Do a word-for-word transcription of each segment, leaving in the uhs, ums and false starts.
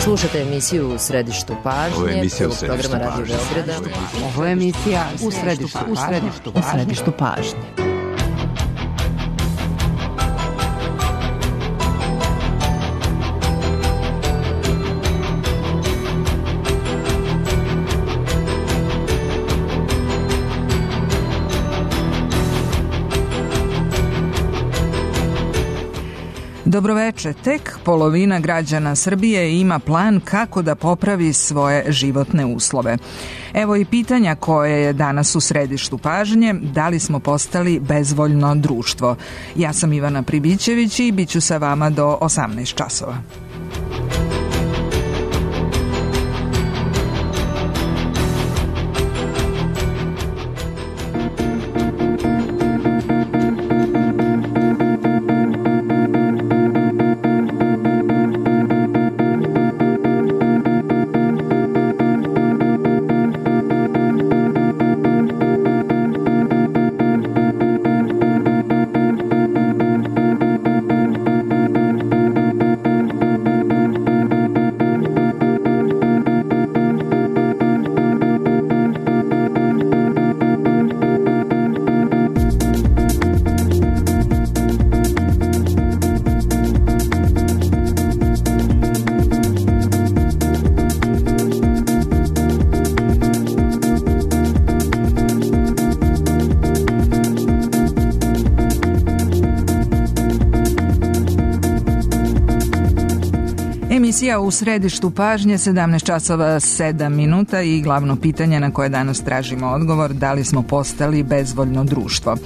Slušate emisiju U središtu pažnje, prvog programa Radio Beograda. Ovo je emisija U središtu, u središtu, u središtu pažnje. Dobroveče. Tek polovina građana Srbije ima plan kako da popravi svoje životne uslove. Evo i pitanja koje je danas u središtu pažnje, da li smo postali bezvoljno društvo. Ja sam Ivana Pribićević i bit ću sa vama do osamnaest časova. Emisija U središtu pažnje, sedamnaest časova sedam minuta i glavno pitanje na koje danas tražimo odgovor, da li smo postali bezvoljno društvo.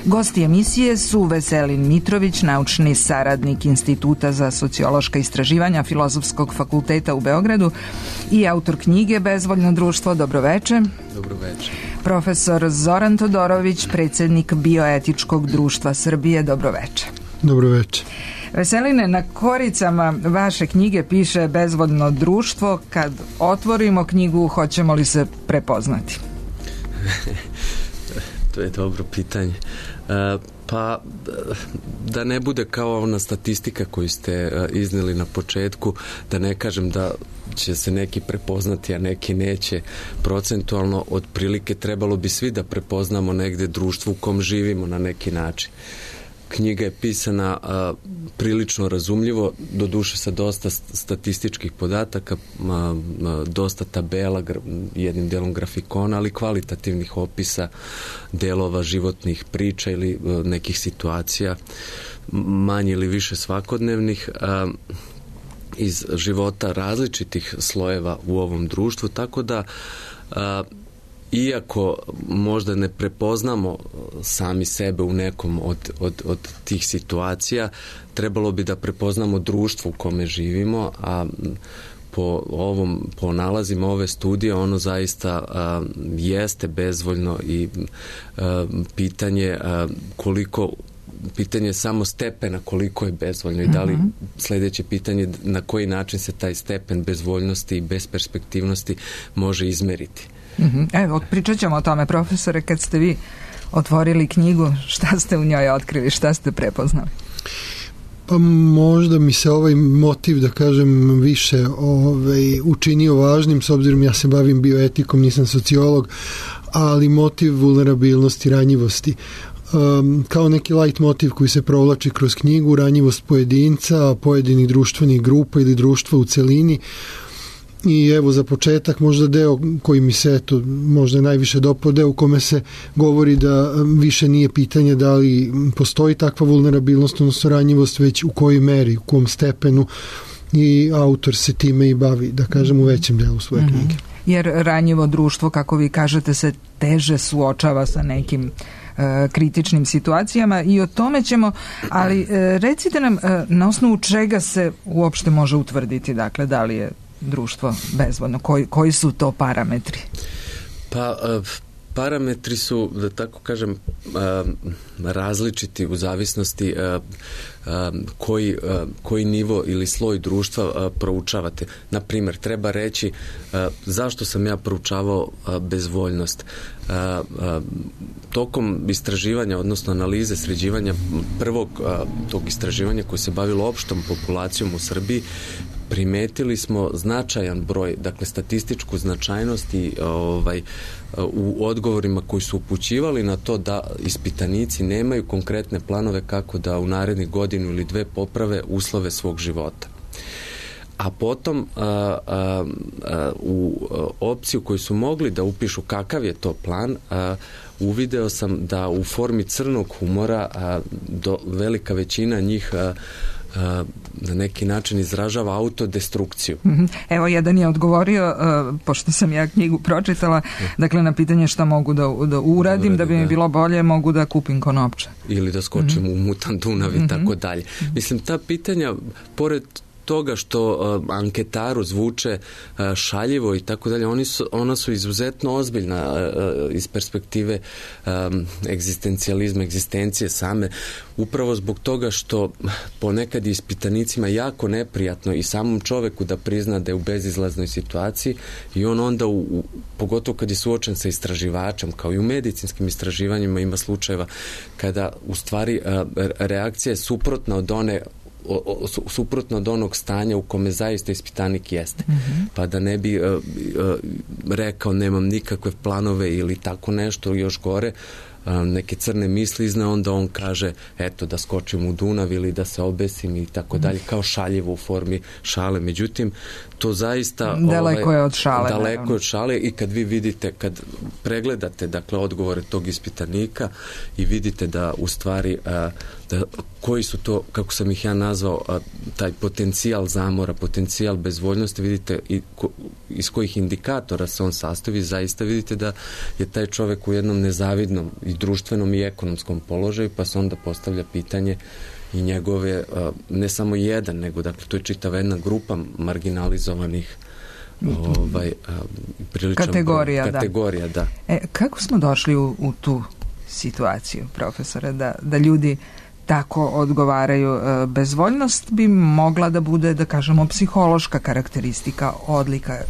Gosti emisije su Veselin Mitrović, naučni saradnik Instituta za sociološka istraživanja Filozofskog fakulteta u Beogradu i autor knjige Bezvoljno društvo. Dobroveče. Dobroveče. Profesor Zoran Todorović, predsjednik Bioetičkog društva Srbije. Dobroveče. Dobroveče. Veseline, na koricama vaše knjige piše bezvoljno društvo. Kad otvorimo knjigu, hoćemo li se prepoznati? To je dobro pitanje. E, pa, da ne bude kao ona statistika koju ste iznijeli na početku, da ne kažem da će se neki prepoznati, a neki neće. Procentualno, otprilike, trebalo bi svi da prepoznamo negde društvo u kom živimo na neki način. Knjiga je pisana a, prilično razumljivo, doduše sa dosta statističkih podataka, a, a, dosta tabela, gra, jednim delom grafikona, ali kvalitativnih opisa delova životnih priča ili a, nekih situacija, manje ili više svakodnevnih, a, iz života različitih slojeva u ovom društvu, tako da a, iako možda ne prepoznamo sami sebe u nekom od, od, od tih situacija, trebalo bi da prepoznamo društvo u kome živimo, a po ovom, po nalazima ove studije ono zaista a, jeste bezvoljno i a, pitanje a, koliko pitanje samo stepena koliko je bezvoljno i da li sljedeće pitanje na koji način se taj stepen bezvoljnosti i besperspektivnosti može izmeriti. Evo, pričat ćemo o tome, profesore, kad ste vi otvorili knjigu, šta ste u njoj otkrili, šta ste prepoznali? Pa možda mi se ovaj motiv, da kažem, više ovaj, učinio važnim, s obzirom ja se bavim bioetikom, nisam sociolog, ali motiv vulnerabilnosti, ranjivosti. Um, kao neki light motiv koji se provlači kroz knjigu, ranjivost pojedinca, pojedinih društvenih grupa ili društva u celini. I evo za početak možda deo koji mi se eto, možda najviše dopao, deo u kome se govori da više nije pitanje da li postoji takva vulnerabilnost, odnosno ranjivost, već u kojoj meri, u kom stepenu, i autor se time i bavi, da kažem, u većem delu svoje knjige. Mm-hmm. Jer ranjivo društvo, kako vi kažete, se teže suočava sa nekim e, kritičnim situacijama i o tome ćemo, ali e, recite nam e, na osnovu čega se uopšte može utvrditi, dakle, da li je društvo bezvoljno, koji, koji su to parametri? Pa parametri su, da tako kažem, različiti u zavisnosti koji, koji nivo ili sloj društva proučavate. Na primjer, treba reći zašto sam ja proučavao bezvoljnost. Tokom istraživanja, odnosno analize, sređivanja prvog tog istraživanja koje se bavilo opštom populacijom u Srbiji, primetili smo značajan broj, dakle statističku značajnost i ovaj, u odgovorima koji su upućivali na to da ispitanici nemaju konkretne planove kako da u narednih godinu ili dve poprave uslove svog života. A potom a, a, a, u opciju koju su mogli da upišu kakav je to plan, a, uvideo sam da u formi crnog humora a, do, velika većina njih a, a, na neki način izražava autodestrukciju. Evo, jedan je odgovorio, uh, pošto sam ja knjigu pročitala, dakle na pitanje šta mogu da, da uradim, Uradi, da bi mi da. bilo bolje, mogu da kupim konopče. Ili da skočim mm-hmm. u mutan Dunav i mm-hmm. tako dalje. Mislim, ta pitanja, pored toga što uh, anketaru zvuče uh, šaljivo i tako dalje, oni su, ona su izuzetno ozbiljna uh, iz perspektive um, egzistencijalizma, egzistencije same, upravo zbog toga što ponekad je ispitanicima jako neprijatno i samom čoveku da prizna da je u bezizlaznoj situaciji i on onda, u, u, pogotovo kad je suočen sa istraživačem, kao i u medicinskim istraživanjima ima slučajeva kada u stvari uh, reakcija je suprotna od one O, o, suprotno od onog stanja u kome zaista ispitanik jeste. Mm-hmm. Pa da ne bi uh, uh, rekao nemam nikakve planove ili tako nešto, još gore, uh, neke crne misli izna, onda on kaže eto da skočim u Dunav ili da se obesim i tako dalje, kao šaljivo u formi šale. Međutim, to zaista daleko ovaj, je od šale. Daleko je od šale i kad vi vidite, kad pregledate dakle odgovore tog ispitanika i vidite da u stvari uh, da, koji su to, kako sam ih ja nazvao, uh, taj potencijal zamora, potencijal bezvoljnosti, vidite i ko, iz kojih indikatora se on sastoji, zaista vidite da je taj čovek u jednom nezavidnom i društvenom i ekonomskom položaju, pa se onda postavlja pitanje i njegove, ne samo jedan, nego dakle to je čitava jedna grupa marginalizovanih ovaj, priličan kategorija, broj, kategorija da. da. E, kako smo došli u, u tu situaciju, profesore, da, da ljudi tako odgovaraju? Bezvoljnost bi mogla da bude, da kažemo, psihološka karakteristika, odlika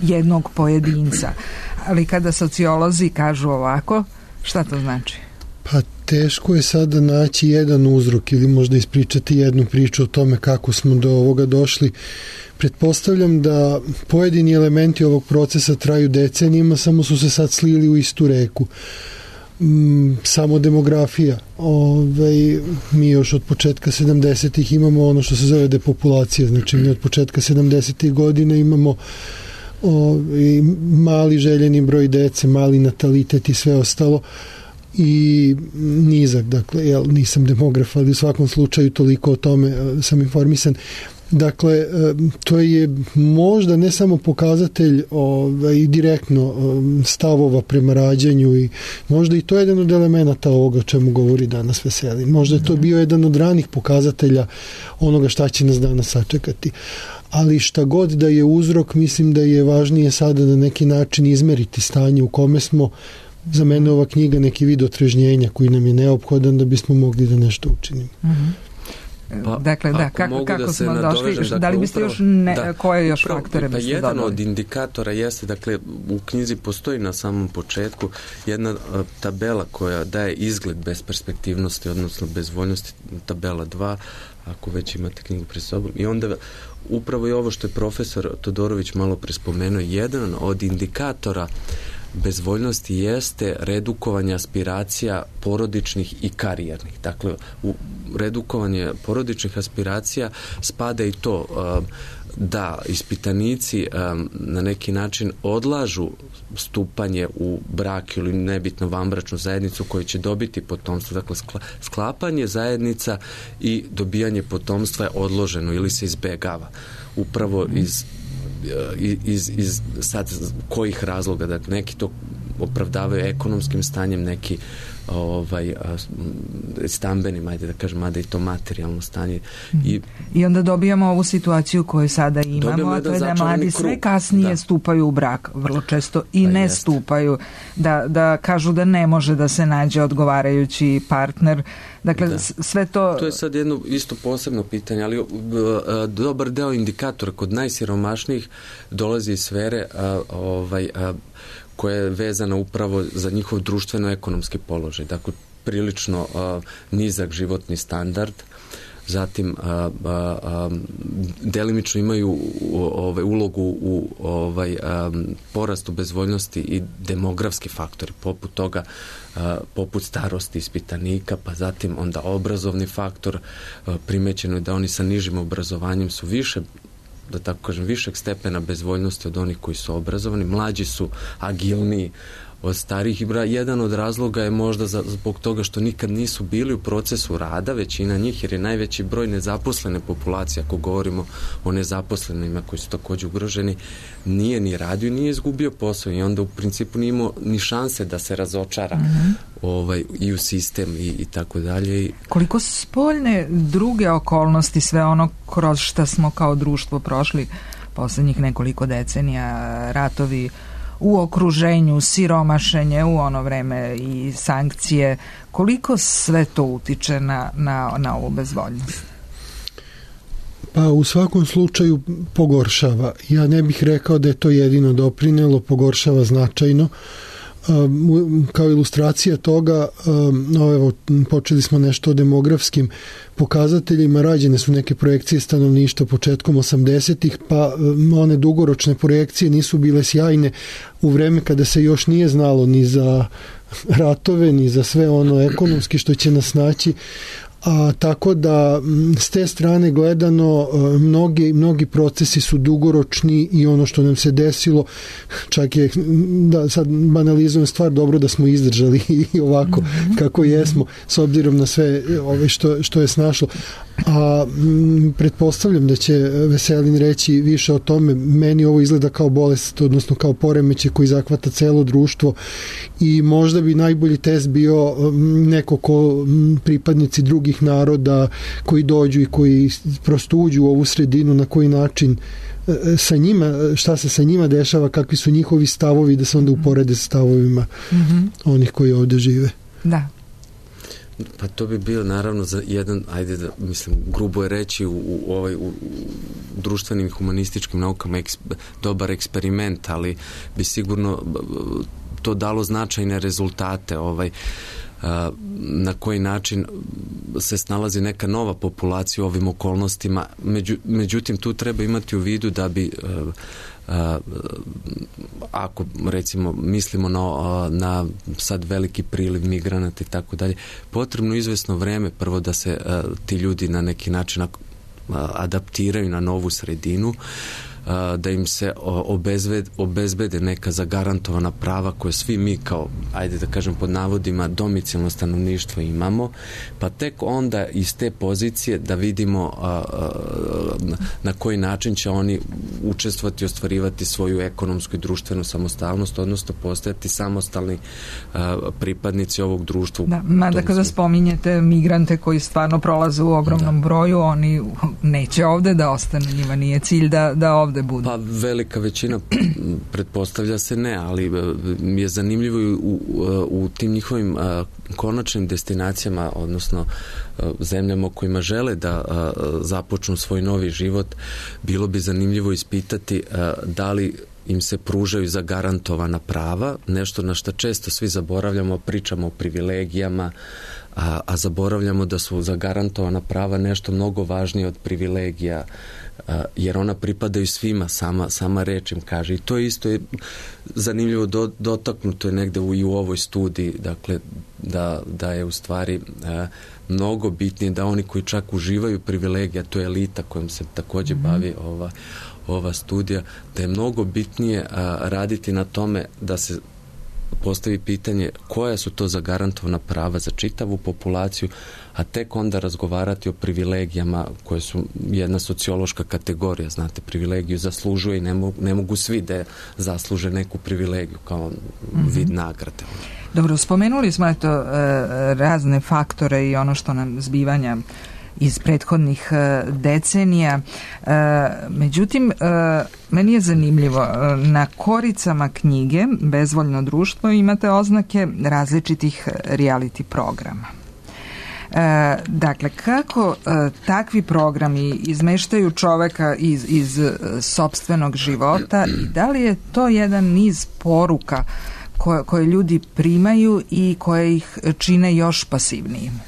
jednog pojedinca, ali kada sociolozi kažu ovako, šta to znači? Pa teško je sada naći jedan uzrok ili možda ispričati jednu priču o tome kako smo do ovoga došli. Pretpostavljam da pojedini elementi ovog procesa traju decenijima, samo su se sad slili u istu reku. Mm, samo demografija. Ove, mi još od početka sedamdesetih imamo ono što se zove depopulacija. Znači mi od početka sedamdesetih godina imamo ove, mali željeni broj dece, mali natalitet i sve ostalo. I nizak, dakle, jel, nisam demograf, ali u svakom slučaju toliko o tome sam informisan. Dakle, to je možda ne samo pokazatelj ovaj, direktno stavova prema rađanju i možda i to je jedan od elemenata ovoga o čemu govori danas Veselin. Možda je to bio jedan od ranih pokazatelja onoga šta će nas danas sačekati. Ali šta god da je uzrok, mislim da je važnije sada na neki način izmeriti stanje u kome smo. Za mene ova knjiga neki vid otrežnjenja koji nam je neophodan da bismo mogli da nešto učinimo. Mm-hmm. Pa, dakle, da, kako, kako da smo došli, dakle, da li biste upravo, još ne, da, koje još upravo, faktore biste jedan dodali? Od indikatora jeste, dakle, u knjizi postoji na samom početku jedna a, tabela koja daje izgled besperspektivnosti, odnosno bezvoljnosti, tabela dva, ako već imate knjigu pred sobom. I onda upravo je ovo što je profesor Todorović malo prespomenuo, jedan od indikatora bezvoljnosti jeste redukovanje aspiracija porodičnih i karijernih. Dakle, u redukovanje porodičnih aspiracija spada i to da ispitanici na neki način odlažu stupanje u brak ili nebitno vanbračnu zajednicu koju će dobiti potomstvo. Dakle, sklapanje zajednica i dobijanje potomstva je odloženo ili se izbegava. Upravo iz iz, iz sad kojih razloga, da neki to opravdavaju ekonomskim stanjem, neki ovaj stambenim, ajde da kažem, mada i to materijalno stanje. I, I onda dobijamo ovu situaciju koju sada imamo, a to je da mladi sve kasnije da. stupaju u brak, vrlo često i pa ne jest. stupaju, da, da kažu da ne može da se nađe odgovarajući partner. Dakle, da. sve to... To je sad jedno isto posebno pitanje, ali dobar deo indikatora kod najsiromašnijih dolazi iz sfere a, ovaj, a, koja je vezana upravo za njihov društveno-ekonomski položaj. Dakle, prilično uh, nizak životni standard, zatim a, a, a, delimično imaju ovaj, ulogu u ovaj, a, porastu bezvoljnosti i demografski faktori, poput toga, a, poput starosti ispitanika, pa zatim onda obrazovni faktor. A, primećeno je da oni sa nižim obrazovanjem su više, da tako kažem, višeg stepena bezvoljnosti od onih koji su obrazovani. Mlađi su agilniji od starih i jedan od razloga je možda za, zbog toga što nikad nisu bili u procesu rada, većina njih, jer je najveći broj nezaposlene populacije, ako govorimo o nezaposlenima koji su također ugroženi, nije ni radio i nije izgubio posao i onda u principu nije imao ni šanse da se razočara mm-hmm. ovaj, i u sistem i, i tako dalje. Koliko spoljne druge okolnosti, sve ono kroz što smo kao društvo prošli posljednjih nekoliko decenija, ratovi u okruženju, siromašenje u ono vreme i sankcije, koliko sve to utiče na, na, na ovu bezvoljnost? Pa u svakom slučaju pogoršava. Ja ne bih rekao da je to jedino doprinelo, pogoršava značajno. Um, kao ilustracija toga, um, evo, počeli smo nešto o demografskim pokazateljima, rađene su neke projekcije stanovništva početkom osamdesetih, pa um, one dugoročne projekcije nisu bile sjajne u vreme kada se još nije znalo ni za ratove, ni za sve ono ekonomski što će nas naći. A, tako da s te strane gledano mnogi, mnogi procesi su dugoročni i ono što nam se desilo, čak je, da sad banalizujem stvar, dobro da smo izdržali i ovako mm-hmm. kako jesmo s obzirom na sve ove što, što je snašlo. A m, pretpostavljam da će Veselin reći više o tome. Meni ovo izgleda kao bolest, odnosno kao poremećaj koji zahvata celo društvo i možda bi najbolji test bio m, neko ko m, pripadnici drugih naroda koji dođu i koji prosto uđu u ovu sredinu, na koji način sa njima, šta se sa njima dešava, kakvi su njihovi stavovi, da se onda uporede sa stavovima mm-hmm. onih koji ovdje žive. Da. Pa to bi bio naravno za jedan, ajde da, mislim, grubo je reći u, u, ovaj, u, u društvenim i humanističkim naukama eks, dobar eksperiment, ali bi sigurno to dalo značajne rezultate, ovaj, a, na koji način se snalazi neka nova populacija u ovim okolnostima. Među, međutim, tu treba imati u vidu da bi a, a, ako recimo mislimo na, na sad veliki priliv migranata i tako dalje, potrebno izvesno vreme prvo da se a, ti ljudi na neki način a, adaptiraju na novu sredinu, da im se obezbede, obezbede neka zagarantovana prava koje svi mi kao, ajde da kažem pod navodima, domicilno stanovništvo imamo, pa tek onda iz te pozicije da vidimo a, a, na koji način će oni učestvovati i ostvarivati svoju ekonomsku i društvenu samostalnost, odnosno postajati samostalni a, pripadnici ovog društva. Da, mada kada spominjete migrante koji stvarno prolaze u ogromnom da. broju, oni neće ovde da ostanu, njima nije cilj da, da ovde budu. Pa velika većina pretpostavlja se ne, ali je zanimljivo u, u, u tim njihovim a, konačnim destinacijama, odnosno a, zemljama u kojima žele da a, započnu svoj novi život, bilo bi zanimljivo ispitati a, da li im se pružaju zagarantovana prava, nešto na što često svi zaboravljamo, pričamo o privilegijama, a, a zaboravljamo da su zagarantovana prava nešto mnogo važnije od privilegija, a, jer ona pripadaju svima, sama, sama reč im kaže. I to isto je zanimljivo do, dotaknuto je negde u, i u ovoj studiji, dakle, da, da je u stvari a, mnogo bitnije da oni koji čak uživaju privilegija, to je elita kojom se također mm-hmm. bavi ova ova studija, da je mnogo bitnije a, raditi na tome da se postavi pitanje koja su to zagarantovana prava za čitavu populaciju, a tek onda razgovarati o privilegijama koje su jedna sociološka kategorija, znate, privilegiju zaslužuje i ne mogu, ne mogu svi da zasluže neku privilegiju kao mm-hmm. vid nagrade. Dobro, spomenuli smo eto razne faktore i ono što nam zbivanja iz prethodnih decenija. Međutim, meni je zanimljivo, na koricama knjige Bezvoljno društvo imate oznake različitih reality programa. Dakle, kako takvi programi izmeštaju čoveka iz, iz sopstvenog života i da li je to jedan niz poruka koje, koje ljudi primaju i koje ih čine još pasivnijim?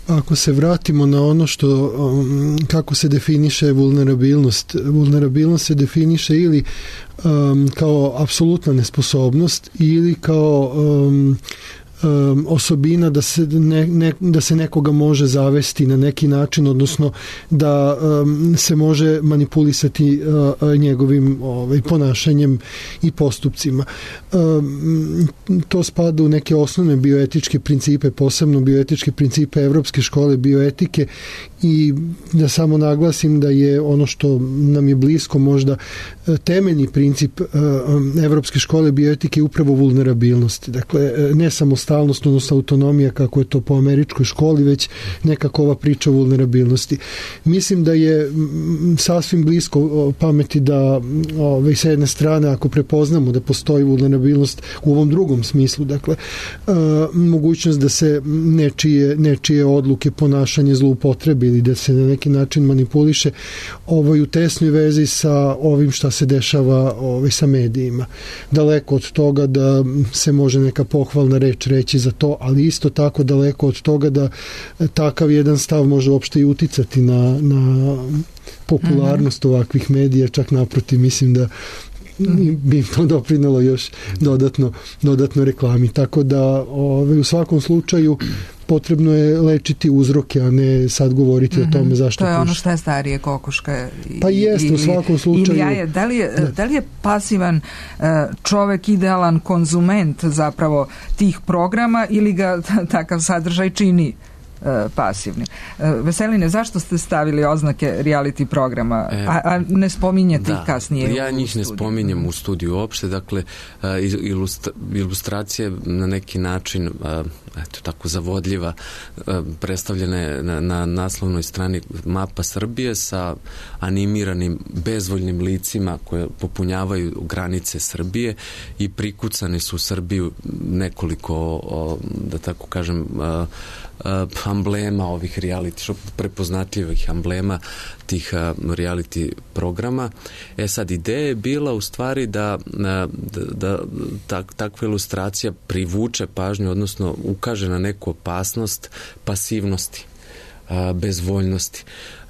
ako se vratimo na ono što, um, kako se definiše vulnerabilnost, vulnerabilnost se definiše ili um, kao apsolutna nesposobnost ili kao um, um, osobina da se, ne, ne, da se nekoga može zavesti na neki način, odnosno da um, se može manipulisati uh, njegovim ovaj, ponašanjem i postupcima. Um, to spada u neke osnovne bioetičke principe, posebno bioetičke principe Evropske škole bioetike, i da samo naglasim da je ono što nam je blisko možda temeljni princip Evropske škole bioetike upravo vulnerabilnost. Dakle, ne samostalnost, odnosno autonomija kako je to po američkoj školi, već nekako ova priča o vulnerabilnosti. Mislim da je sasvim blisko pameti da ove, sa jedne strane, ako prepoznamo da postoji vulnerabilnost u ovom drugom smislu, dakle, mogućnost da se nečije, nečije odluke, ponašanje zloupotrebi ili da se na neki način manipuliše, ovaj, u tesnoj vezi sa ovim šta se dešava ovaj, sa medijima. Daleko od toga da se može neka pohvalna reč reći za to, ali isto tako daleko od toga da takav jedan stav može uopšte i uticati na, na popularnost ovakvih medija, čak naprotiv, mislim da bi im to doprinalo još dodatno, dodatno reklami. Tako da ovaj, u svakom slučaju potrebno je lečiti uzroke, a ne sad govoriti mm-hmm. o tome zašto. To je puši. ono što je starije, kokoška i, pa jeste, ili, u svakom slučaju. Ili jaje. Da li je, da. Da li je pasivan uh, čovek idealan konzument zapravo tih programa ili ga takav sadržaj čini pasivni. Veseline, zašto ste stavili oznake reality programa, e, a, a ne spominjete da, ih kasnije? Ja njih studiju. Ne spominjem u studiju uopšte, dakle ilustra, ilustracije na neki način eto tako zavodljiva predstavljene na, na naslovnoj strani mapa Srbije sa animiranim bezvoljnim licima koje popunjavaju granice Srbije i prikucane su u Srbiju nekoliko, da tako kažem, amblema ovih reality, prepoznatljivih amblema tih reality programa. E sad, ideja je bila u stvari da, da, da tak, takva ilustracija privuče pažnju, odnosno ukaže na neku opasnost pasivnosti, bezvoljnosti.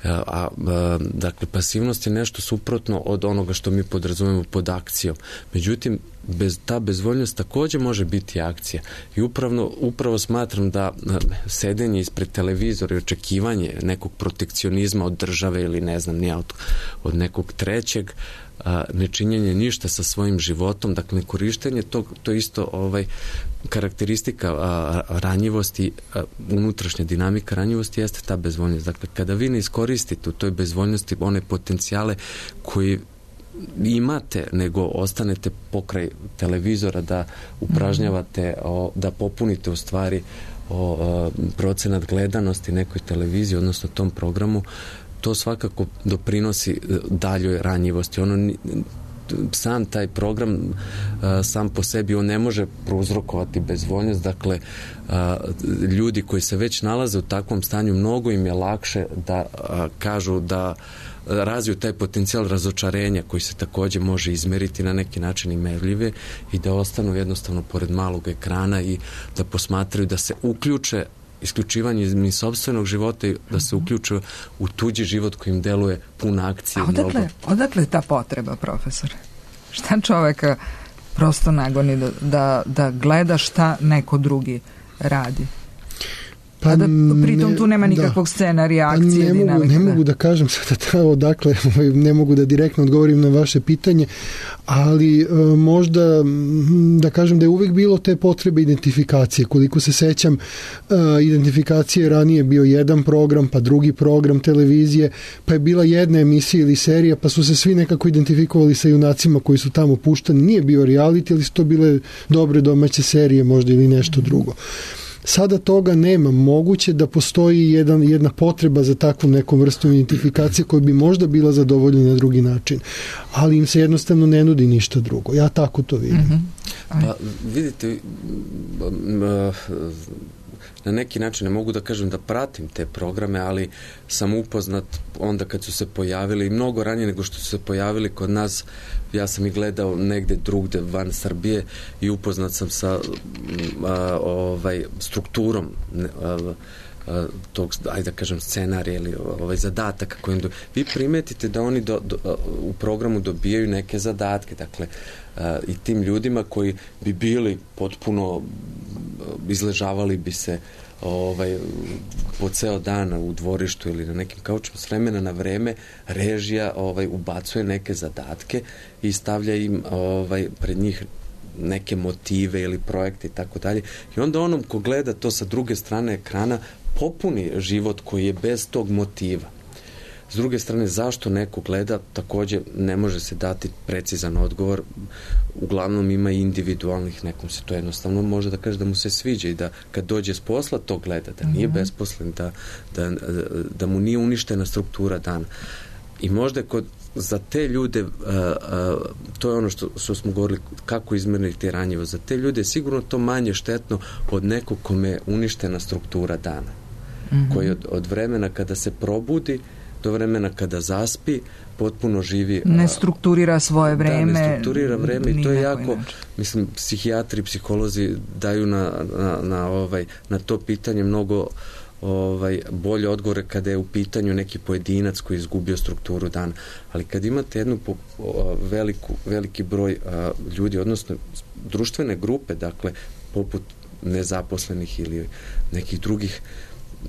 A, a, dakle, pasivnost je nešto suprotno od onoga što mi podrazumemo pod akcijom. Međutim, bez, ta bezvoljnost također može biti akcija. I upravo, upravo smatram da sedenje ispred televizora i očekivanje nekog protekcionizma od države ili ne znam, nije od, od nekog trećeg, a, nečinjenje ništa sa svojim životom, dakle nekorištenje tog, to isto ovaj, karakteristika a, ranjivosti, a, unutrašnja dinamika ranjivosti jeste ta bezvoljnost. Dakle, kada vi ne iskoristite u toj bezvoljnosti one potencijale koji imate, nego ostanete pokraj televizora da upražnjavate, o, da popunite u stvari o, o, procenat gledanosti nekoj televiziji, odnosno tom programu, to svakako doprinosi daljoj ranjivosti. Ono, sam taj program sam po sebi on ne može prouzrokovati bezvoljnost, dakle ljudi koji se već nalaze u takvom stanju, mnogo im je lakše da kažu da razviju taj potencijal razočarenja koji se također može izmeriti na neki način i merljive i da ostanu jednostavno pored malog ekrana i da posmatraju, da se uključe isključivanje iz sopstvenog života i da se uključuje u tuđi život koji im deluje pun akcije. A odakle, odakle je ta potreba, profesor? Šta čoveka prosto nagoni da, da, da gleda šta neko drugi radi? Pa a da pritom ne, tu nema nikakvog da, scena, reakcije, ne dinamika. Mogu, ne da. mogu da kažem sada odakle, ne mogu da direktno odgovorim na vaše pitanje, ali e, možda da kažem da je uvijek bilo te potrebe identifikacije. Koliko se sećam, e, identifikacije ranije bio jedan program, pa drugi program televizije, pa je bila jedna emisija ili serija, pa su se svi nekako identifikovali sa junacima koji su tamo puštani. Nije bio reality, ali su to bile dobre domaće serije možda ili nešto drugo. Sada toga nema. Moguće da postoji jedan, jedna potreba za takvom nekom vrstom identifikacije koja bi možda bila zadovoljena na drugi način, ali im se jednostavno ne nudi ništa drugo. Ja tako to vidim. Mm-hmm. Pa vidite, na neki način ne mogu da kažem da pratim te programe, ali sam upoznat onda kad su se pojavili, mnogo ranije nego što su se pojavili kod nas. Ja sam ih gledao negde drugde van Srbije i upoznat sam sa a, ovaj, strukturom a, tog, ajde da kažem, scenarija ili ovaj zadataka kojim do... vi primetite da oni do, do, u programu dobijaju neke zadatke, dakle i tim ljudima koji bi bili potpuno izležavali bi se ovaj, po ceo dan u dvorištu ili na nekim kaučima, s vremena na vreme režija ovaj, ubacuje neke zadatke i stavlja im ovaj, pred njih neke motive ili projekte i tako dalje. I onda onom ko gleda to sa druge strane ekrana popuni život koji je bez tog motiva. S druge strane, zašto neko gleda, takođe ne može se dati precizan odgovor. Uglavnom ima individualnih, nekom se to jednostavno može da kaže da mu se sviđa i da kad dođe s posla to gleda, da nije mm-hmm. besposlen, da, da, da mu nije uništena struktura dana. I možda kod za te ljude, uh, uh, to je ono što, što smo govorili, kako izmeriti te ranjivo, za te ljude je sigurno to manje štetno od nekog kome je uništena struktura dana. Mm-hmm. Koji od, od vremena kada se probudi do vremena kada zaspi, potpuno živi... Ne strukturira svoje vreme. Da, ne strukturira vreme i to je jako, inače. Mislim, psihijatri, psiholozi daju na, na, na, ovaj, na to pitanje mnogo ovaj, bolje odgovore kada je u pitanju neki pojedinac koji je izgubio strukturu dana. Ali kad imate jednu po, o, veliku, veliki broj a, ljudi, odnosno društvene grupe, dakle, poput nezaposlenih ili nekih drugih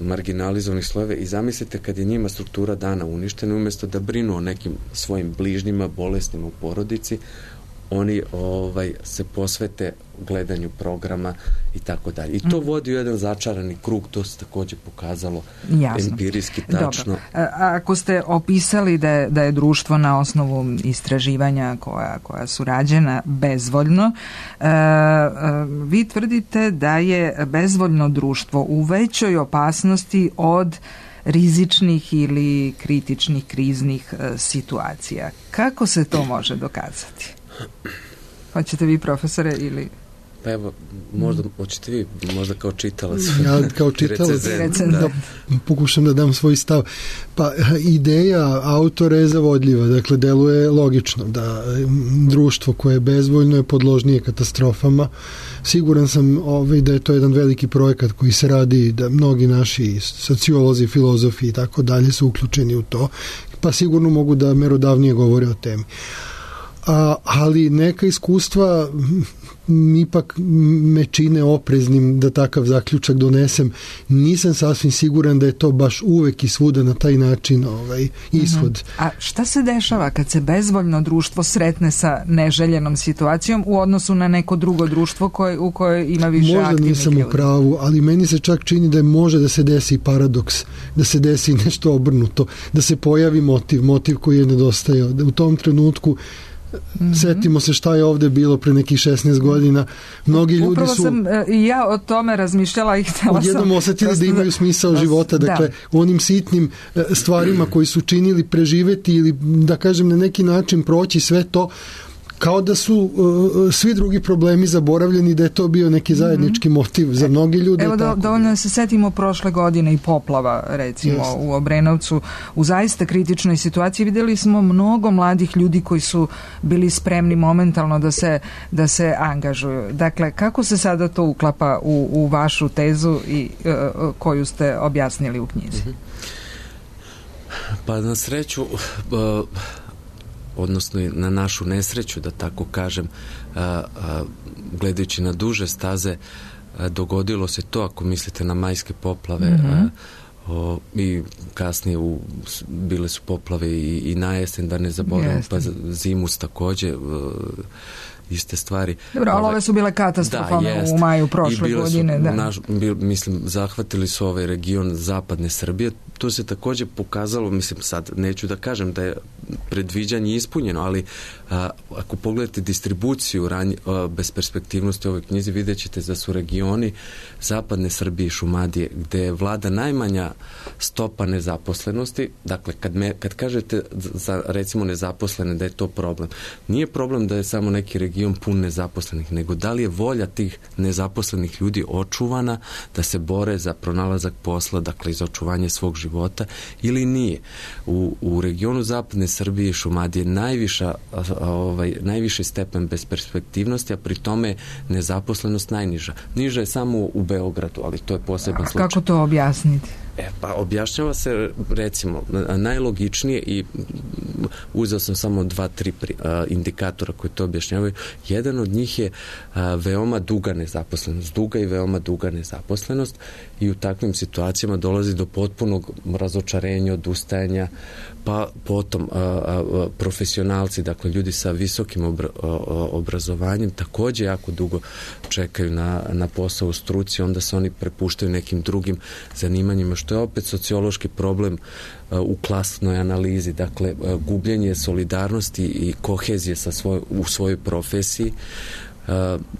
marginalizovanih slojeva i zamislite kad je njima struktura dana uništena, umjesto da brinu o nekim svojim bližnjima, bolesnima u porodici, oni ovaj, se posvete gledanju programa i tako dalje. I to vodi u jedan začarani krug, to se također pokazalo Jasno. empirijski tačno. Dobro. A, ako ste opisali da je, da je društvo na osnovu istraživanja koja, koja su rađena bezvoljno, a, a, vi tvrdite da je bezvoljno društvo u većoj opasnosti od rizičnih ili kritičnih kriznih a, situacija. Kako se to može dokazati? Hoćete vi, profesore, ili... Pa evo, možda, hoćete vi, možda kao čitalac. Ja kao čitalac da, da pokušam da dam svoj stav. Pa ideja autora je zavodljiva, dakle, deluje logično da društvo koje je bezvoljno je podložnije katastrofama. Siguran sam ovaj, da je to jedan veliki projekat koji se radi, da mnogi naši sociolozi, filozofi i tako dalje su uključeni u to, pa sigurno mogu da merodavnije govore o temi. A, ali neka iskustva ipak me čine opreznim da takav zaključak donesem. Nisam sasvim siguran da je to baš uvek i svuda na taj način ovaj, ishod. Uh-huh. A šta se dešava kad se bezvoljno društvo sretne sa neželjenom situacijom u odnosu na neko drugo društvo koje, u kojoj ima više Možda aktivnih ljudi? Možda nisam u pravu, ali meni se čak čini da je može da se desi paradoks, da se desi nešto obrnuto, da se pojavi motiv, motiv koji je nedostajao. Da u tom trenutku Mm-hmm. setimo se šta je ovde bilo pre nekih šesnaest godina. Mnogi ljudi Upravo su... sam i ja o tome razmišljala i htjela sam... Odjednom osetili da, da imaju smisao da, života. Dakle, da. onim sitnim stvarima koji su činili preživeti ili, da kažem, na neki način proći sve to, kao da su uh, svi drugi problemi zaboravljeni, da je to bio neki zajednički motiv za mnogi ljude. Evo, do, dovoljno da se setimo prošle godine i poplava, recimo, Just. u Obrenovcu. U zaista kritičnoj situaciji vidjeli smo mnogo mladih ljudi koji su bili spremni momentalno da se, da se angažuju. Dakle, kako se sada to uklapa u, u vašu tezu i uh, koju ste objasnili u knjizi? Pa na sreću... Uh, odnosno na našu nesreću, da tako kažem, a, a, gledajući na duže staze, a, dogodilo se to, ako mislite na majske poplave, mm-hmm. a, o, i kasnije u, bile su poplave i, i na jesen, da ne zaboravim, pa zimus također, a, iste stvari. Dobro, ali ove su bile katastrofalne da, u maju prošle godine. Su, da. Naš, bil, mislim, zahvatili su ovaj region zapadne Srbije. To se također pokazalo, mislim, sad neću da kažem da je predviđanje ispunjeno, ali a, ako pogledate distribuciju ranj, a, bez perspektivnosti u ovoj knjizi, vidjet ćete da su regioni zapadne Srbije i Šumadije, gde vlada najmanja stopa nezaposlenosti, dakle kad, me, kad kažete za recimo nezaposlene da je to problem, nije problem da je samo neki region pun nezaposlenih, nego da li je volja tih nezaposlenih ljudi očuvana da se bore za pronalazak posla, dakle za očuvanje svog života ili nije. U, u regionu zapadne Srbije i Šumadije najviša, ovaj, najviši stepen besperspektivnosti, a pri tome je nezaposlenost najniža. Niža je samo u Beogradu, ali to je poseban slučaj. Kako to objasniti? E, pa objašnjava se, recimo, najlogičnije i uzeo sam samo dva, tri indikatora koji to objašnjavaju. Jedan od njih je a, veoma duga nezaposlenost. Duga i veoma duga nezaposlenost i u takvim situacijama dolazi do potpunog razočarenja, odustajanja, pa potom a, a, profesionalci, dakle ljudi sa visokim obra, a, obrazovanjem također jako dugo čekaju na, na posao u struci, onda se oni prepuštaju nekim drugim zanimanjima, što je opet sociološki problem uh, u klasnoj analizi, dakle uh, gubljenje solidarnosti i kohezije sa svoj, u svojoj profesiji uh,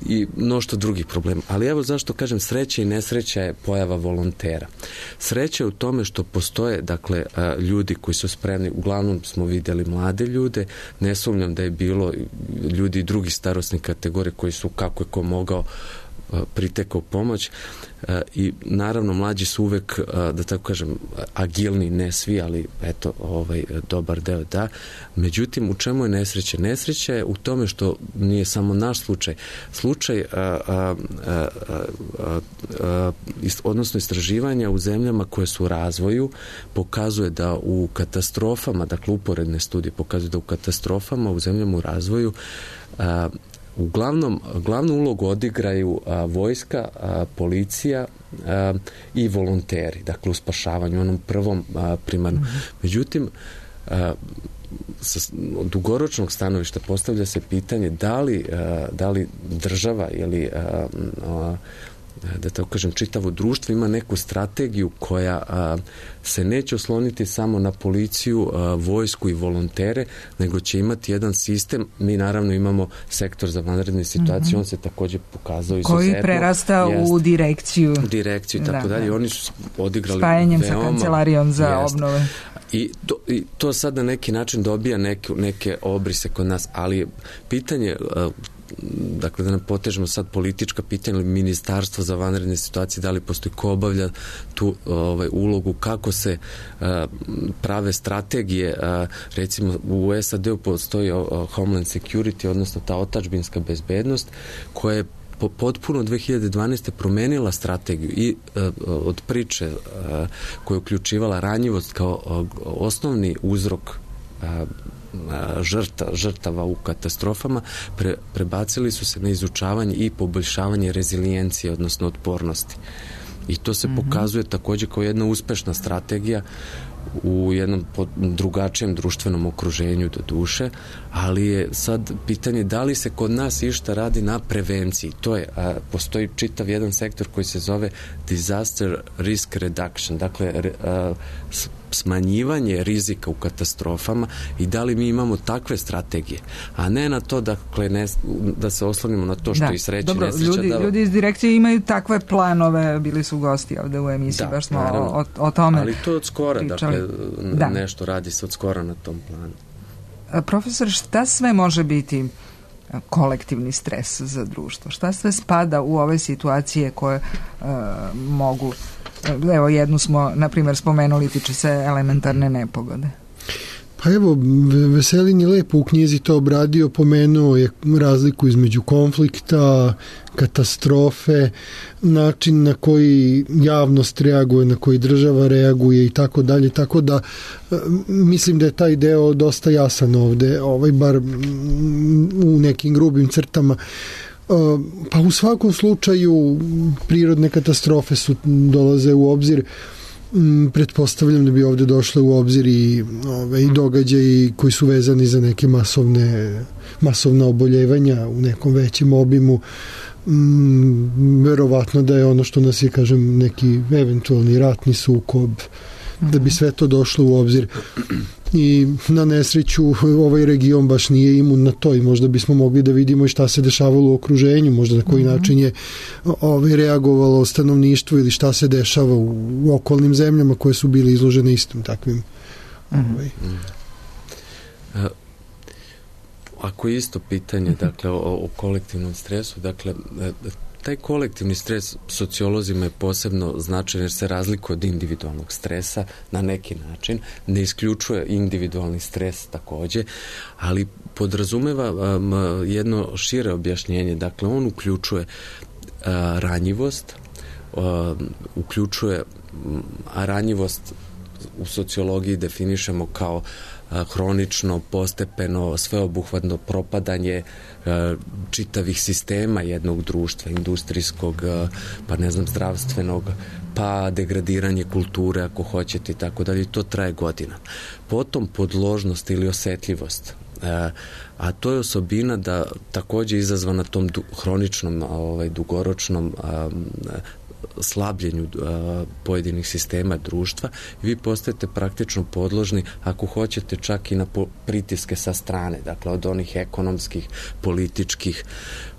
i mnoštvo drugih problema. Ali evo zašto kažem sreća i nesreća je pojava volontera. Sreća je u tome što postoje, dakle, uh, ljudi koji su spremni, uglavnom smo vidjeli mlade ljude, ne sumnjam da je bilo ljudi drugih starosnih kategorija koji su kako je ko mogao pritekao pomoć i naravno mlađi su uvek, da tako kažem, agilni, ne svi, ali eto, ovaj, dobar deo da. Međutim, u čemu je nesreća? Nesreća je u tome što nije samo naš slučaj. Slučaj, a, a, a, a, a, odnosno istraživanja u zemljama koje su u razvoju pokazuje da u katastrofama, dakle uporedne studije pokazuju da u katastrofama u zemljama u razvoju a, uglavnom, glavnu ulogu odigraju a, vojska, a, policija a, i volonteri, dakle u spašavanju, onom prvom a, primarnom. Mm-hmm. Međutim, a, sa dugoročnog stanovišta postavlja se pitanje da li, a, da li država ili a, a, da tako kažem, čitavo društvo ima neku strategiju koja a, se neće osloniti samo na policiju, a, vojsku i volontere, nego će imati jedan sistem. Mi naravno imamo sektor za vanredne situacije, mm-hmm. on se također pokazao izuzetno. Koji prerasta jest, u direkciju. Direkciju i tako da, dalje. Da. Oni su odigrali spajanjem veoma, sa kancelarijom za jest. obnove. I to, I to sad na neki način dobija neke, neke obrise kod nas, ali pitanje a, dakle da ne potežemo sad politička pitanja ili ministarstvo za vanredne situacije, da li postoji ko obavlja tu ovaj, ulogu, kako se uh, prave strategije, uh, recimo u S A D-u postoji uh, Homeland Security, odnosno ta otadžbinska bezbednost koja je po, potpuno dve hiljade dvanaeste promenila strategiju i uh, od priče uh, koja je uključivala ranjivost kao uh, osnovni uzrok uh, žrta, žrtava u katastrofama, pre, prebacili su se na izučavanje i poboljšavanje rezilijencije, odnosno otpornosti. I to se mm-hmm. pokazuje također kao jedna uspešna strategija u jednom drugačijem društvenom okruženju do duše, ali je sad pitanje da li se kod nas išta radi na prevenciji. To je, a, postoji čitav jedan sektor koji se zove Disaster Risk Reduction, dakle a, smanjivanje rizika u katastrofama i da li mi imamo takve strategije, a ne na to dakle, ne, da se oslonimo na to što da, i sreće dobro, nesreća. Ljudi, da... ljudi iz direkcije imaju takve planove, bili su gosti ovde u emisiji, da, baš smo o, o tome ali to od skora, pričali. Dakle, da. nešto radi se od skora na tom planu. A, profesor, šta sve može biti kolektivni stres za društvo? Šta sve spada u ove situacije koje uh, mogu, evo jednu smo na primjer spomenuli, tiče se elementarne nepogode. Pa evo, Veselin je lepo u knjizi to obradio, pomenuo je razliku između konflikta, katastrofe, način na koji javnost reaguje, na koji država reaguje i tako dalje, tako da mislim da je taj deo dosta jasan ovde, ovaj, bar u nekim grubim crtama. Pa u svakom slučaju prirodne katastrofe su dolaze u obzir. Pretpostavljam da bi ovde došle u obzir i ove, i događaji koji su vezani za neke masovne masovna oboljevanja u nekom većem obimu. Mm, verovatno da je ono što nas je, kažem, neki eventualni ratni sukob, da bi sve to došlo u obzir. i na nesreću ovaj region baš nije imun na to i možda bismo mogli da vidimo i šta se dešavalo u okruženju, možda na koji mm-hmm. način je ovaj, reagovalo stanovništvo ili šta se dešava u, u okolnim zemljama koje su bile izložene istim takvim mm-hmm. ovaj. Mm-hmm. Ako je isto pitanje dakle, o, o kolektivnom stresu, dakle taj kolektivni stres sociolozima je posebno značajan jer se razlikuje od individualnog stresa na neki način, ne isključuje individualni stres takođe, ali podrazumeva um, jedno šire objašnjenje. Dakle, on uključuje uh, ranjivost, uh, uključuje um, a ranjivost u sociologiji definišemo kao hronično, postepeno, sveobuhvatno propadanje čitavih sistema jednog društva, industrijskog, pa ne znam, zdravstvenog, pa degradiranje kulture, ako hoćete, i tako dalje. To traje godina. Potom podložnost ili osetljivost. A to je osobina da takođe izazvana tom du, hroničnom, ovaj, dugoročnom a, slabljenju a, pojedinih sistema društva i vi postajete praktično podložni, ako hoćete, čak i na po, pritiske sa strane, dakle od onih ekonomskih, političkih,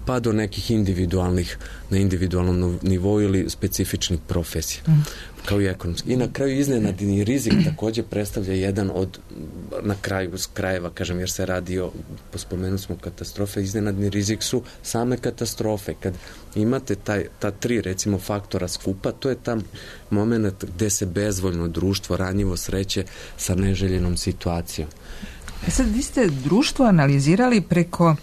pa do nekih individualnih, na individualnom nivou ili specifičnih profesija, mm. kao i ekonomski. I na kraju iznenadni rizik takođe predstavlja jedan od, na kraju s krajeva, kažem, jer se radi o, pospomenuli smo katastrofe, iznenadni rizik su same katastrofe. Kad imate taj, ta tri, recimo, faktora skupa, to je tam moment gde se bezvoljno društvo ranjivo sreće sa neželjenom situacijom. E sad, vi ste društvo analizirali preko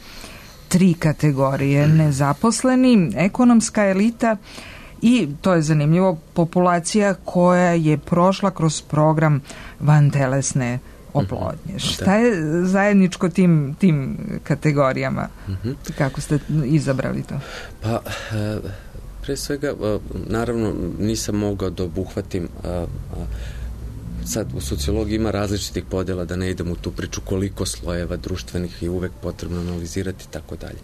tri kategorije, nezaposleni, ekonomska elita i, to je zanimljivo, populacija koja je prošla kroz program vantelesne oplodnje. Šta je zajedničko tim, tim kategorijama? Kako ste izabrali to? Pa, pre svega, naravno, nisam mogao da obuhvatim, sad u sociologiji ima različitih podela, da ne idem u tu priču koliko slojeva društvenih je uvek potrebno analizirati i tako dalje.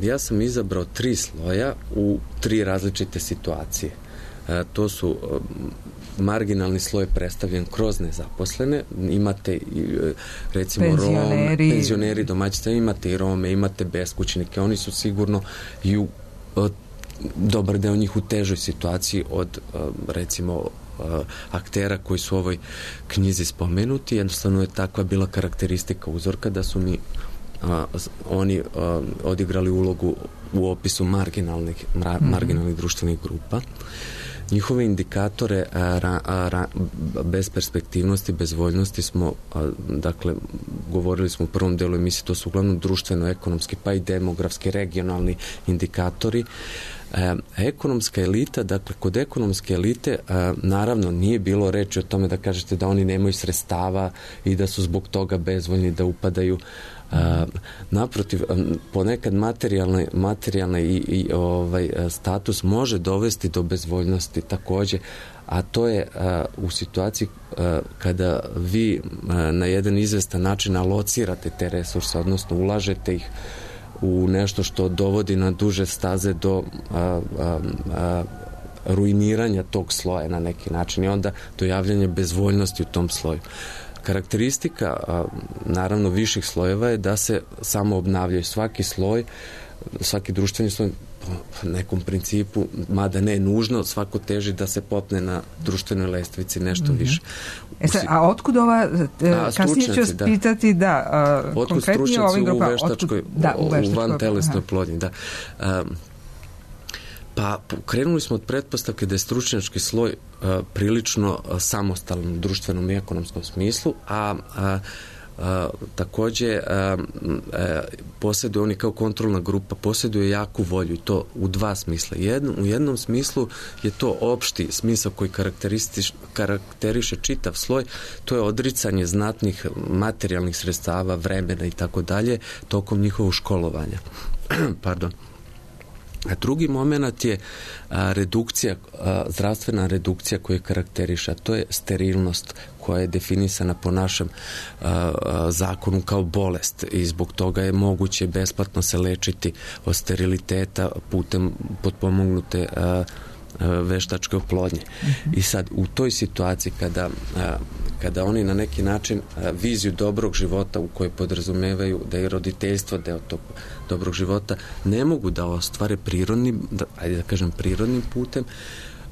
Ja sam izabrao tri sloja u tri različite situacije. To su marginalni sloj predstavljen kroz nezaposlene, imate recimo penzioneri. Rome, penzioneri, domaćice, imate i Rome, imate beskućnike, oni su sigurno i u, dobar deo njih u težoj situaciji od recimo aktera koji su u ovoj knjizi spomenuti. Jednostavno je takva bila karakteristika uzorka da su mi a, oni a, odigrali ulogu u opisu marginalnih, mra, mm-hmm. marginalnih društvenih grupa. Njihove indikatore a, ra, a, ra, besperspektivnosti, bezvoljnosti smo, a, dakle, govorili smo u prvom delu emisije, to su uglavnom društveno-ekonomski, pa i demografski, regionalni indikatori. E, ekonomska elita, dakle, kod ekonomske elite e, naravno nije bilo reči o tome da kažete da oni nemaju sredstava i da su zbog toga bezvoljni, da upadaju. E, naprotiv, ponekad materijalni, materijalni i, i ovaj, status može dovesti do bezvoljnosti takođe, a to je a, u situaciji a, kada vi a, na jedan izvestan način alocirate te resurse, odnosno ulažete ih u nešto što dovodi na duže staze do a, a, a, ruiniranja tog sloja na neki način i onda do javljanja bezvoljnosti u tom sloju. Karakteristika a, naravno viših slojeva je da se samo obnavljaju svaki sloj, svaki društveni sloj po nekom principu, mada ne nužno, svako teži da se popne na društvenoj lestvici nešto mm-hmm. više. E sad, a otkud ova, a, kasnije ću vas da. pitati, da, a, otkud konkretnije ovim grupama, u veštačkoj, otkud, da, u, u vantelesnoj plodnji, da. A, pa krenuli smo od pretpostavke da je stručnjački sloj a, prilično a, samostalan u društvenom i ekonomskom smislu, a, a A, takođe a, a, posjeduje oni kao kontrolna grupa, posjeduje jaku volju i to u dva smisla. Jedno, u jednom smislu je to opšti smisao koji karakteriše čitav sloj, to je odricanje znatnih materijalnih sredstava, vremena i tako dalje tokom njihovog školovanja. Pardon. A drugi moment je a, redukcija, a, zdravstvena redukcija koju karakteriša, to je sterilnost koja je definisana po našem a, a, zakonu kao bolest i zbog toga je moguće besplatno se lečiti od steriliteta putem potpomognute a, a, veštačke oplodnje. Mm-hmm. I sad u toj situaciji kada a, kada oni na neki način viziju dobrog života u kojoj podrazumevaju da je roditeljstvo deo tog dobrog života ne mogu da ostvare prirodnim, da, ajde da kažem prirodnim putem,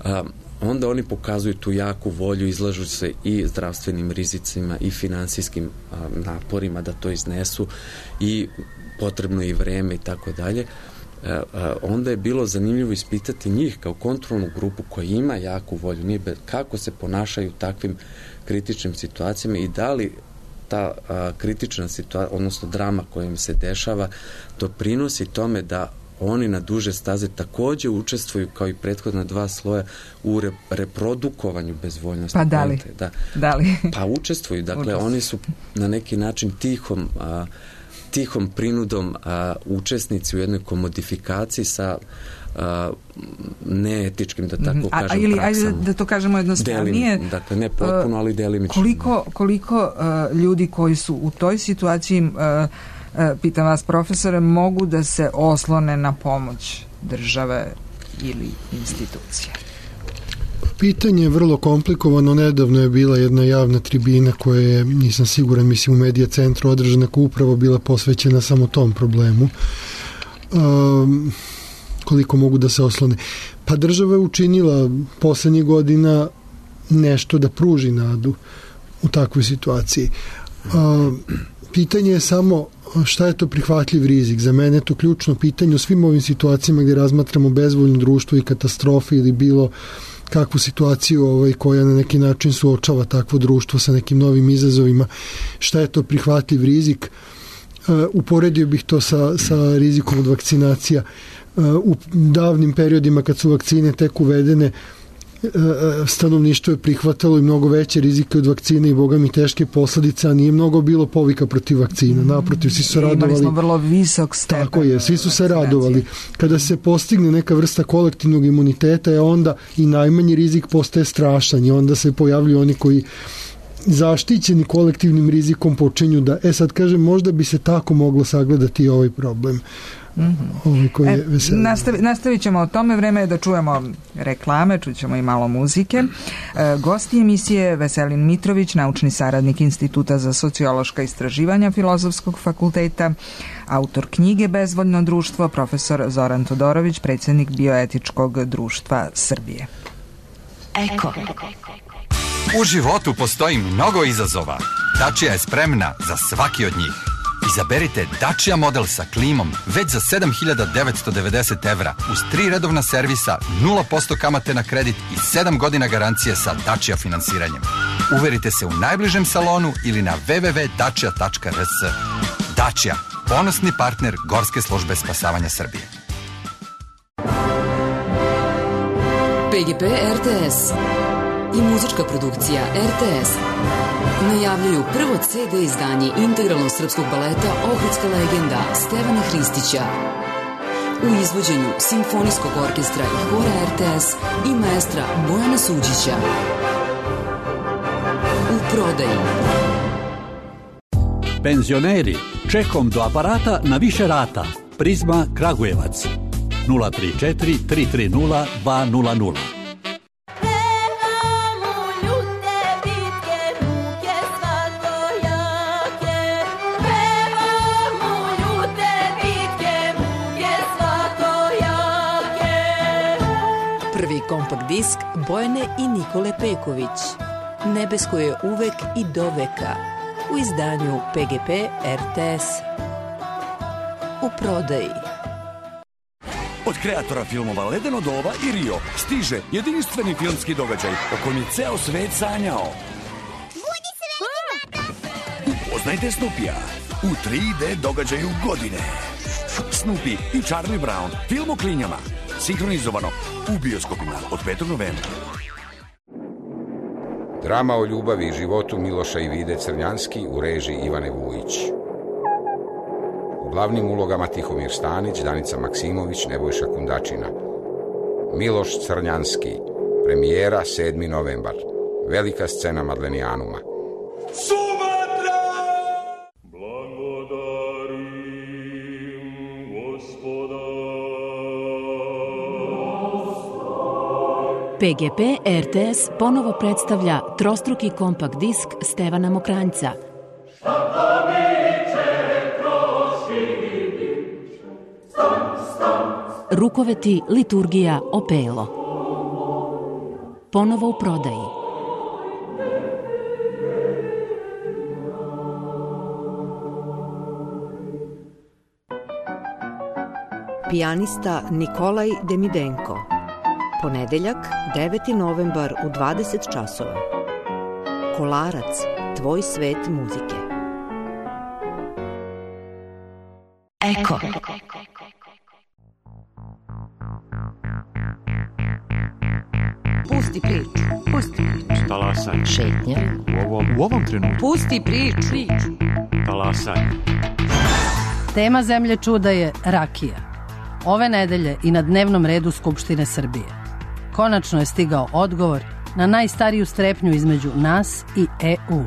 a, onda oni pokazuju tu jaku volju, izlažu se i zdravstvenim rizicima i finansijskim a, naporima da to iznesu i potrebno i vreme i tako dalje. Onda je bilo zanimljivo ispitati njih kao kontrolnu grupu koja ima jaku volju, nije be, kako se ponašaju u takvim kritičnim situacijama i da li ta a, kritična situacija, odnosno drama koja im se dešava, doprinosi tome da oni na duže staze takođe učestvuju kao i prethodna dva sloja u re, reprodukovanju bezvoljnosti. Pa da li? Da. Da li? Pa učestvuju, dakle učestvuju. Oni su na neki način tihom a, tihom prinudom a, učesnici u jednoj komodifikaciji sa a, neetičkim, da tako a, kažem, ili, praksama. Ajde da to kažemo jednostavnije. Delim, dakle, ne potpuno, ali delimično. Koliko, koliko a, ljudi koji su u toj situaciji, a, a, pitam vas profesore, mogu da se oslone na pomoć države ili institucije? Pitanje je vrlo komplikovano. Nedavno je bila jedna javna tribina koja je, nisam siguran, mislim u Medija centru održana, koja upravo bila posvećena samo tom problemu. Um, koliko mogu da se oslone? Pa država je učinila poslednjih godina nešto da pruži nadu u takvoj situaciji. Um, pitanje je samo šta je to prihvatljiv rizik. Za mene je to ključno pitanje u svim ovim situacijama gdje razmatramo bezvoljno društvo i katastrofe ili bilo kakvu situaciju ovaj, koja na neki način suočava takvo društvo sa nekim novim izazovima. Šta je to prihvatljiv rizik? Uh, uporedio bih to sa, sa rizikom od vakcinacija. Uh, u davnim periodima kad su vakcine tek uvedene, stanovništvo je prihvatalo i mnogo veće rizike od vakcine i boga mi teške posledice, a nije mnogo bilo povika protiv vakcina. Naprotiv, svi su radovali. Imali smo vrlo visok stepen. Tako je, svi su se radovali. Kada se postigne neka vrsta kolektivnog imuniteta, je onda i najmanji rizik postaje strašan i onda se pojavljuju oni koji zaštićeni kolektivnim rizikom počinju da, e sad kažem, možda bi se tako moglo sagledati i ovaj problem. Mm-hmm. E, nastavi, nastavit ćemo o tome. Vreme je da čujemo reklame, čućemo i malo muzike. E, gosti emisije Veselin Mitrović, naučni saradnik Instituta za sociološka istraživanja Filozofskog fakulteta, autor knjige Bezvoljno društvo, profesor Zoran Todorović, predsjednik Bioetičkog društva Srbije. Eko. U životu postoji mnogo izazova. Dačija je spremna za svaki od njih. Izaberite Dacia model sa klimom već za sedam hiljada devetsto devedeset evra uz tri redovna servisa, nula posto kamate na kredit i sedam godina garancije sa Dacia finansiranjem. Uverite se u najbližem salonu ili na w w w tačka dacia tačka r s. Dacia, ponosni partner Gorske službe spasavanja Srbije. P G P R T S i muzička produkcija R T S najavljuju prvo C D izdanje integralnog srpskog baleta Ohridska legenda Stevana Hristića u izvođenju Simfonijskog orkestra i hora R T S i maestra Bojana Suđića. U prodaji. Penzioneri, čekom do aparata na više rata. Prizma Kragujevac nula tri četiri tri tri nula dva nula nula. Prvi kompakt disk Bojane i Nikole Peković. Nebesko je uvek i doveka. U izdanju P G P R T S. U prodaji. Od kreatora filmova Ledeno doba i Rio stiže jedinstveni filmski događaj o kojem je ceo svet sanjao. Budi srećni, Upoznajte Snoopija u tri D događaju godine. Snoopy i Charlie Brown, film o klinjama. Sinhronizovano u bioskopima od petog novembra. Drama o ljubavi i životu Miloša i Vide Crnjanski u režiji Ivane Vujić. U glavnim ulogama Tihomir Stanić, Danica Maksimović, Nebojša Kundačina. Miloš Crnjanski, premijera sedmi novembar. Velika scena Madlenijanuma. Sumatra! Blagodarim Gospoda. P G P R T S ponovo predstavlja trostruki kompakt disk Stevana Mokranjca. Rukoveti liturgija Opelo. Ponovo u prodaji. Pijanista Nikolaj Demidenko. Ponedeljak, deveti novembar u dvadeset časova. Kolarac, tvoj svet muzike. Eko. Pusti priču. Pusti priču. Talasanje. Šetnja. U ovom, u ovom trenutku. Pusti priču. Talasanje. Tema Zemlje čuda je rakija. Ove nedelje i na dnevnom redu Skupštine Srbije. Konačno je stigao odgovor na najstariju strepnju između nas i E U.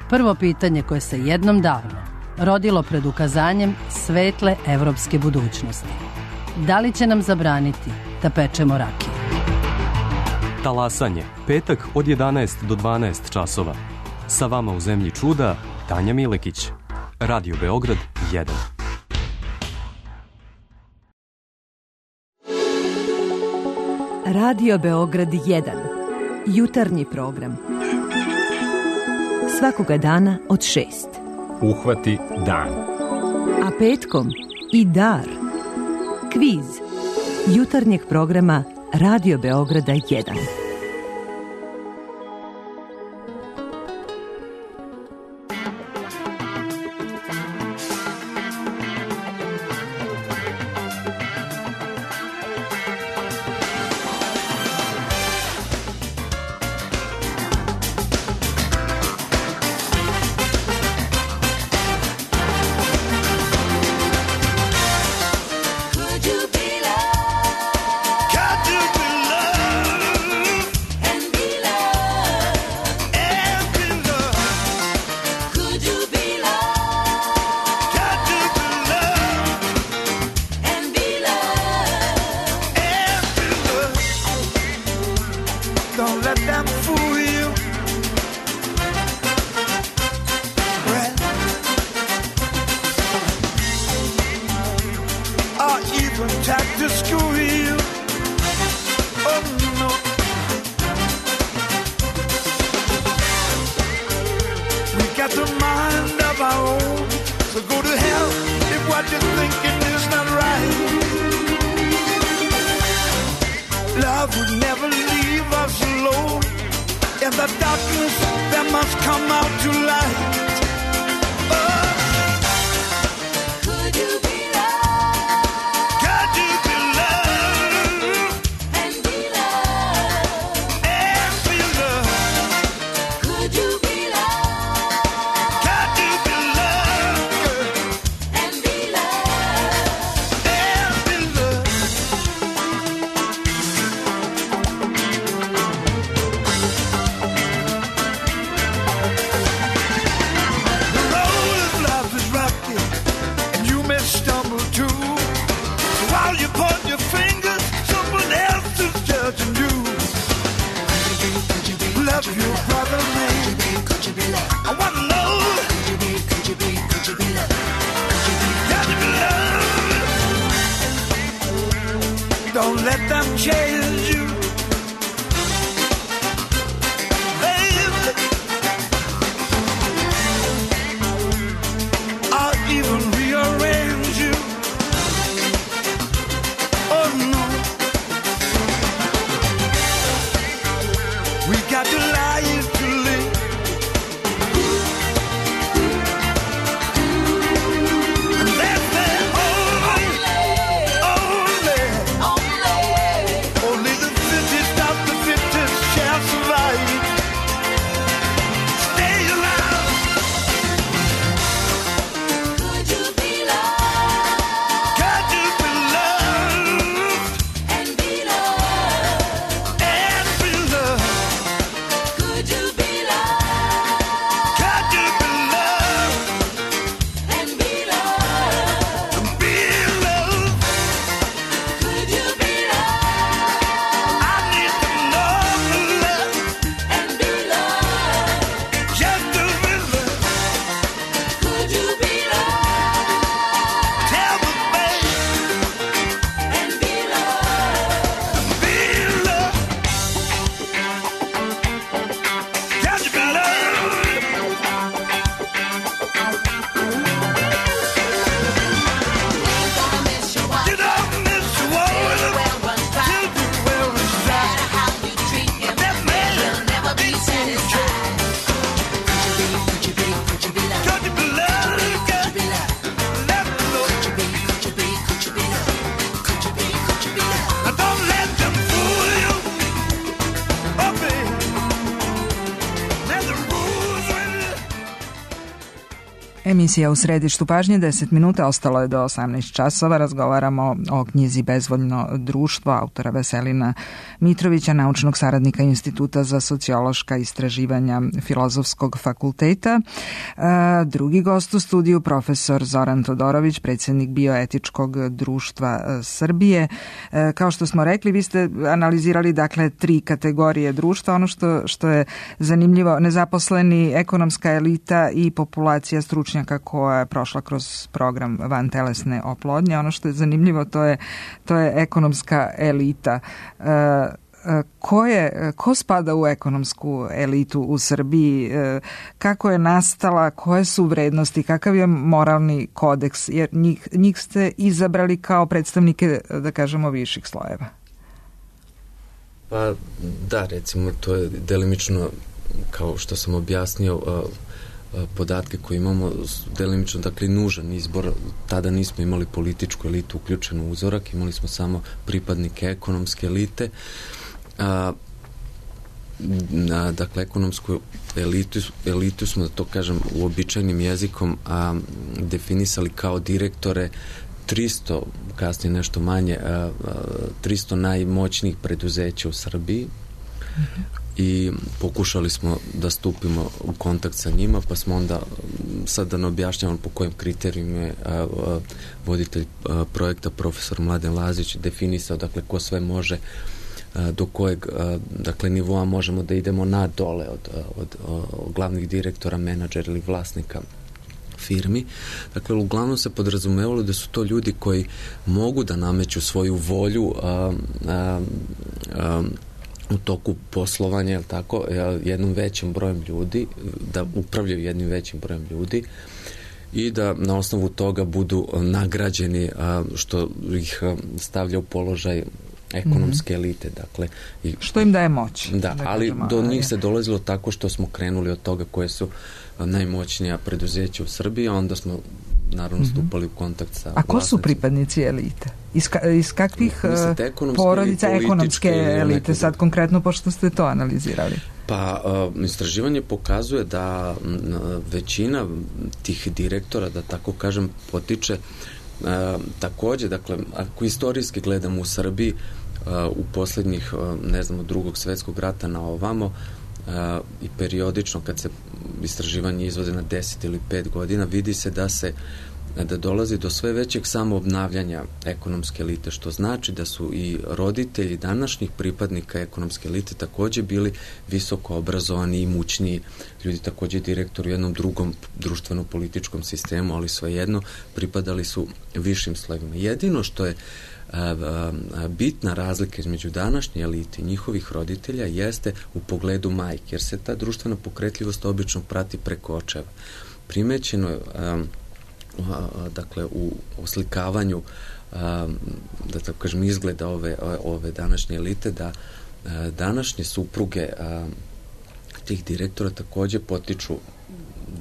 Prvo pitanje koje se jednom davno rodilo pred ukazanjem svetle evropske budućnosti. Da li će nam zabraniti da pečemo rakiju? Talasanje, petak od jedanaest do dvanaest časova. Sa vama u Zemlji čuda, Tanja Milekić. Radio Beograd jedan. Radio Beograd jedan. Jutarnji program. Svakoga dana od šest. Uhvati dan. A petkom i dar. Kviz. Jutarnjeg programa Radio Beograda jedan. Emisija u središtu pažnje, deset minuta, ostalo je do osamnaest časova. Razgovaramo o knjizi Bezvoljno društvo autora Veselina Mitrovića, naučnog saradnika Instituta za sociološka istraživanja Filozofskog fakulteta. Drugi gost u studiju, profesor Zoran Todorović, predsjednik Bioetičkog društva Srbije. Kao što smo rekli, vi ste analizirali dakle tri kategorije društva. Ono što, što je zanimljivo, nezaposleni, ekonomska elita i populacija stručnjaka koja je prošla kroz program vantelesne oplodnje. Ono što je zanimljivo, to je, to je ekonomska elita. E, ko, je, ko spada u ekonomsku elitu u Srbiji? E, kako je nastala? Koje su vrednosti? Kakav je moralni kodeks? Jer njih, njih ste izabrali kao predstavnike, da kažemo, viših slojeva. Pa da, recimo, to je delimično, kao što sam objasnio, podatke koje imamo, delimično, dakle, nužan izbor. Tada nismo imali političku elitu uključenu u uzorak, imali smo samo pripadnike ekonomske elite. A, a, dakle, ekonomsku elitu, elitu smo, da to kažem uobičajenim jezikom, a, definisali kao direktore tristo, kasnije nešto manje, a, a, tristo najmoćnijih preduzeća u Srbiji. Mm-hmm. I pokušali smo da stupimo u kontakt sa njima, pa smo onda, sad da ne objašnjavam po kojim kriterijima je a, a, voditelj a, projekta profesor Mladen Lazić definisao, dakle, ko sve može, a, do kojeg a, dakle, nivoa možemo da idemo na dole od, od, od, od glavnih direktora, menadžera ili vlasnika firmi. Dakle, uglavnom se podrazumevalo da su to ljudi koji mogu da nameću svoju volju a, a, a, u toku poslovanja, jel tako, jednom većim brojem ljudi, da upravljaju jednim većim brojem ljudi i da na osnovu toga budu nagrađeni, što ih stavlja u položaj ekonomske elite. Dakle, i, što im daje moć. Da, da ali kažemo, do njih se dolazilo tako što smo krenuli od toga koje su najmoćnija preduzeća u Srbiji, a onda smo naravno stupali u kontakt sa A ko vlasnicima. su pripadnici elite? Iz, ka, iz kakvih Mislite, porodica ekonomske elite? Sad konkretno, pošto ste to analizirali. Pa, uh, istraživanje pokazuje da m, većina tih direktora, da tako kažem, potiče uh, takođe, dakle, ako istorijski gledamo u Srbiji, uh, u posljednjih, uh, ne znam, od drugog svetskog rata na ovamo, uh, i periodično kad se istraživanje izvode na deset ili pet godina, vidi se da se da dolazi do sve većeg samoobnavljanja ekonomske elite, što znači da su i roditelji današnjih pripadnika ekonomske elite takođe bili visoko obrazovani i imućniji ljudi, takođe direktori u jednom drugom društveno-političkom sistemu, ali svejedno pripadali su višim slojevima. Jedino što je a, a, bitna razlika između današnje elite i njihovih roditelja jeste u pogledu majke, jer se ta društvena pokretljivost obično prati preko očeva. Primećeno je a, dakle u oslikavanju da tako kažem izgleda ove, ove današnje elite, da današnje supruge tih direktora takođe potiču,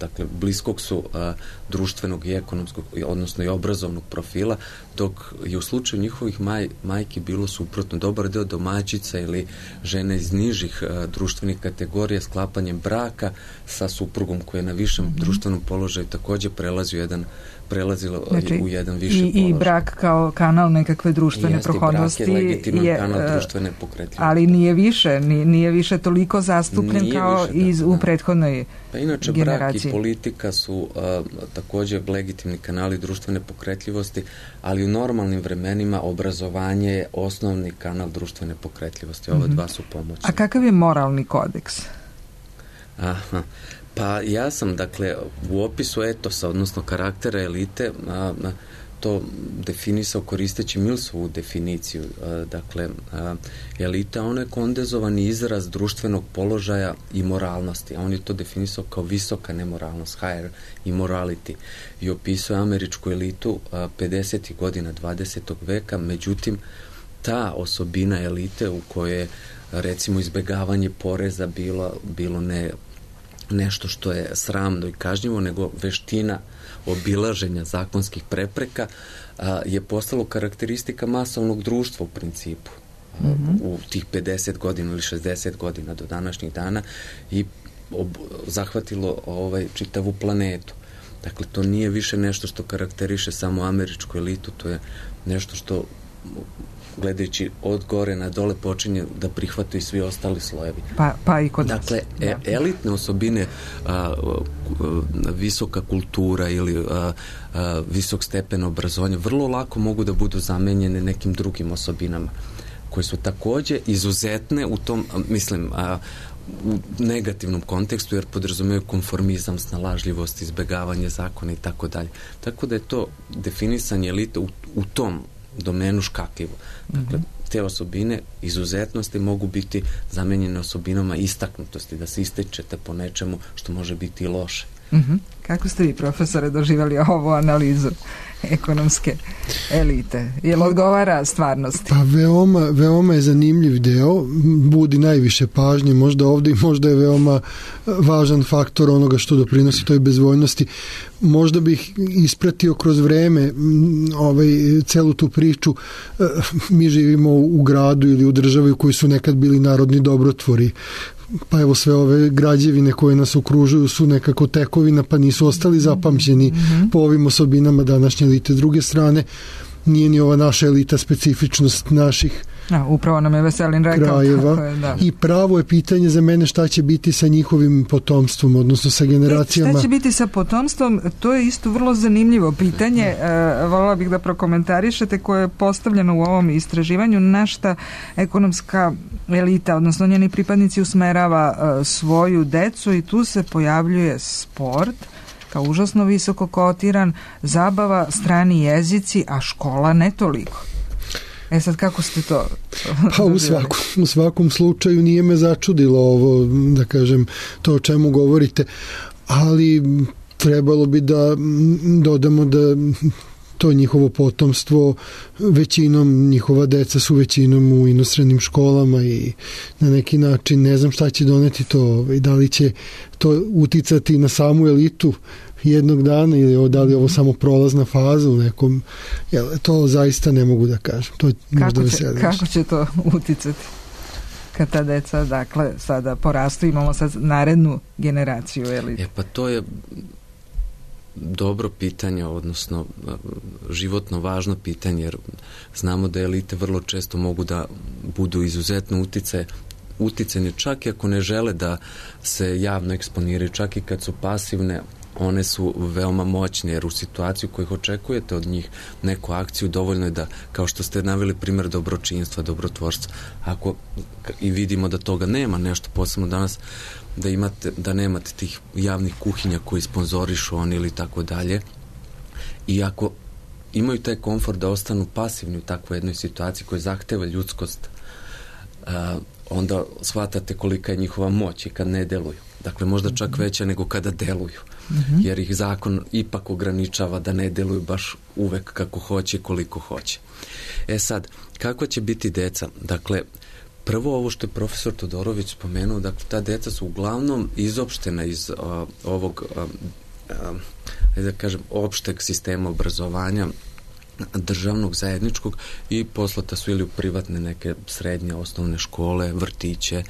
dakle bliskog su a, društvenog i ekonomskog, odnosno i obrazovnog profila, dok je u slučaju njihovih maj, majki bilo suprotno. Dobar deo domaćica ili žene iz nižih a, društvenih kategorija sklapanjem braka sa suprugom koji je na višem mm-hmm. društvenom položaju takođe prelazi u jedan prelazilo znači, u jedan viši i, položaj. I brak kao kanal nekakve društvene Jeste, prohodnosti brak je legitiman je, kanal društvene pokretljivosti. Ali nije više, nije, nije više toliko zastupljen nije kao više, iz, da, u prethodnoj pa inače generaciji. Brak i politika su a, takođe legitimni kanali društvene pokretljivosti, ali u normalnim vremenima obrazovanje je osnovni kanal društvene pokretljivosti. Ova mm-hmm. dva su pomoćni. A kakav je moralni kodeks? Aha. Pa ja sam, dakle, u opisu etosa, odnosno karaktera elite, a, a, to definisao koristeći Millsovu definiciju. A, dakle, a, elita, ona je kondenzovani izraz društvenog položaja i moralnosti, a on je to definisao kao visoka nemoralnost, higher immorality, i opisao američku elitu a, pedesetih godina dvadesetog veka, međutim, ta osobina elite u kojoj recimo izbegavanje poreza bilo, bilo ne nešto što je sramno i kažnjivo, nego veština obilaženja zakonskih prepreka a, je postalo karakteristika masovnog društva u principu. Mm-hmm. U tih pedeset godina ili šezdeset godina do današnjih dana i ob, zahvatilo ovaj čitavu planetu. Dakle, to nije više nešto što karakteriše samo američku elitu, to je nešto što, gledajući od gore na dole, počinje da prihvate i svi ostali slojevi. Pa, pa i kod Dakle, e, elitne osobine, a, a, visoka kultura ili a, a, visok stepen obrazovanja vrlo lako mogu da budu zamenjene nekim drugim osobinama koje su takođe izuzetne u tom, mislim, a, u negativnom kontekstu, jer podrazumijaju konformizam, snalažljivost, izbegavanje zakona i tako dalje. Tako da je to definisanje elite u, u tom domenu škakljivo. Dakle, te osobine izuzetnosti mogu biti zamenjene osobinama istaknutosti, da se ističete po nečemu što može biti i loše. Uh-huh. Kako ste vi, profesore, doživjeli ovu analizu ekonomske elite? Je li odgovara stvarnosti? Pa veoma, veoma je zanimljiv deo, budi najviše pažnje možda ovdje i možda je veoma važan faktor onoga što doprinosi toj bezvoljnosti. Možda bih ispratio kroz vreme ovaj, celu tu priču. Mi živimo u gradu ili u državi u kojoj su nekad bili narodni dobrotvori, pa evo sve ove građevine koje nas okružuju su nekako tekovina, pa nisu ostali zapamćeni mm-hmm. po ovim osobinama današnje elite. S druge strane, nije ni ova naša elita specifičnost naših A, upravo nam je Veselin rekao krajeva. Je, da. I pravo je pitanje za mene šta će biti sa njihovim potomstvom, odnosno sa generacijama. Šta će biti sa potomstvom? To je isto vrlo zanimljivo pitanje. E, voljela bih da prokomentarišete, koje je postavljeno u ovom istraživanju, na šta ekonomska elita, odnosno njeni pripadnici, usmerava e, svoju decu, i tu se pojavljuje sport kao užasno visoko kotiran, zabava, strani jezici, a škola ne toliko. E sad, kako ste to? Pa u svakom, u svakom slučaju nije me začudilo ovo, da kažem, to o čemu govorite, ali trebalo bi da dodamo da to njihovo potomstvo, većinom njihova deca su većinom u inostranim školama i na neki način ne znam šta će doneti to i da li će to uticati na samu elitu jednog dana ili da li je ovo samo prolazna faza u nekom, jel, to zaista ne mogu da kažem. To je možda kako, će, kako će to uticati kad ta deca, dakle, sada porastu, imamo sad narednu generaciju elite? E pa to je dobro pitanje, odnosno životno važno pitanje, jer znamo da elite vrlo često mogu da budu izuzetno utice uticanje, čak i ako ne žele da se javno eksponiraju, čak i kad su pasivne, one su veoma moćne, jer u situaciju koju očekujete od njih neku akciju, dovoljno je da, kao što ste naveli primjer dobročinstva, dobrotvorstva, ako i vidimo da toga nema, nešto posebno danas, da imate, da nemate tih javnih kuhinja koji sponzorišu oni ili tako dalje, i ako imaju taj komfort da ostanu pasivni u takvoj jednoj situaciji koja zahteva ljudskost, uh, onda shvatate kolika je njihova moć i kad ne deluju. Dakle, možda čak veća nego kada deluju. Mm-hmm. Jer ih zakon ipak ograničava da ne deluju baš uvek kako hoće i koliko hoće. E sad, kako će biti deca? Dakle, prvo ovo što je profesor Todorović spomenuo, dakle, ta deca su uglavnom izopštena iz uh, ovog, uh, uh, da kažem, opšteg sistema obrazovanja, državnog, zajedničkog, i poslata su ili u privatne neke srednje osnovne škole, vrtiće,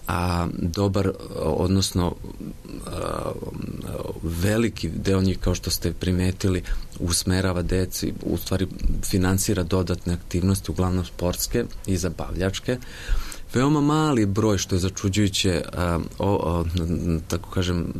a dobar, odnosno a, veliki deo njih, kao što ste primetili, usmerava deci, u stvari finansira dodatne aktivnosti, uglavnom sportske i zabavljačke. Veoma mali broj, što je začuđujuće, a, o, o, tako kažem,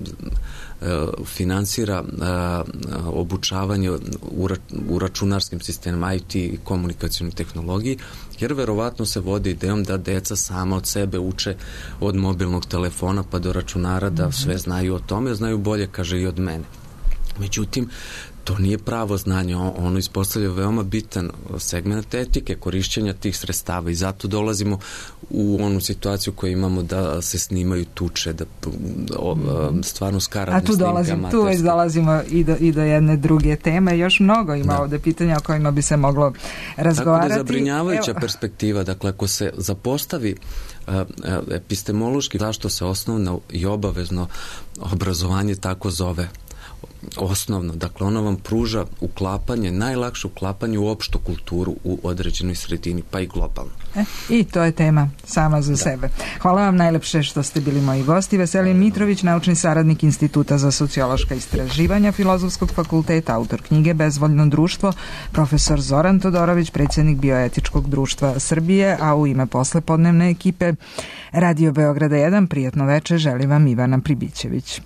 finansira a, obučavanje u, ra, u računarskim sistemima, I T i komunikacijnoj tehnologiji, jer verovatno se vodi idejom da deca sama od sebe uče od mobilnog telefona pa do računara, da sve znaju o tome, znaju bolje, kaže, i od mene. Međutim, to nije pravo znanje, ono ispostavlja veoma bitan segment etike korišćenja tih sredstava, i zato dolazimo u onu situaciju koju imamo da se snimaju tuče, da o, stvarno skaradne snimke. A tu dolazimo, tu već dolazimo i do, i do jedne druge teme, još mnogo ima da. ovde pitanja o kojima bi se moglo razgovarati. Tako da zabrinjavajuća Evo. perspektiva, dakle, ako se zapostavi uh, uh, epistemološki zašto se osnovno i obavezno obrazovanje tako zove, osnovno. Dakle, ono vam pruža uklapanje, najlakše uklapanje u opštu kulturu u određenoj sredini, pa i globalno. E, I to je tema sama za da. sebe. Hvala vam najlepše što ste bili moji gosti. Veselin Mitrović, naučni saradnik Instituta za sociološka istraživanja Filozofskog fakulteta, autor knjige Bezvoljno društvo, profesor Zoran Todorović, predsjednik Bioetičkog društva Srbije, a u ime poslepodnevne ekipe Radio Beograda jedan, prijatno veče želi vam Ivana Pribićević.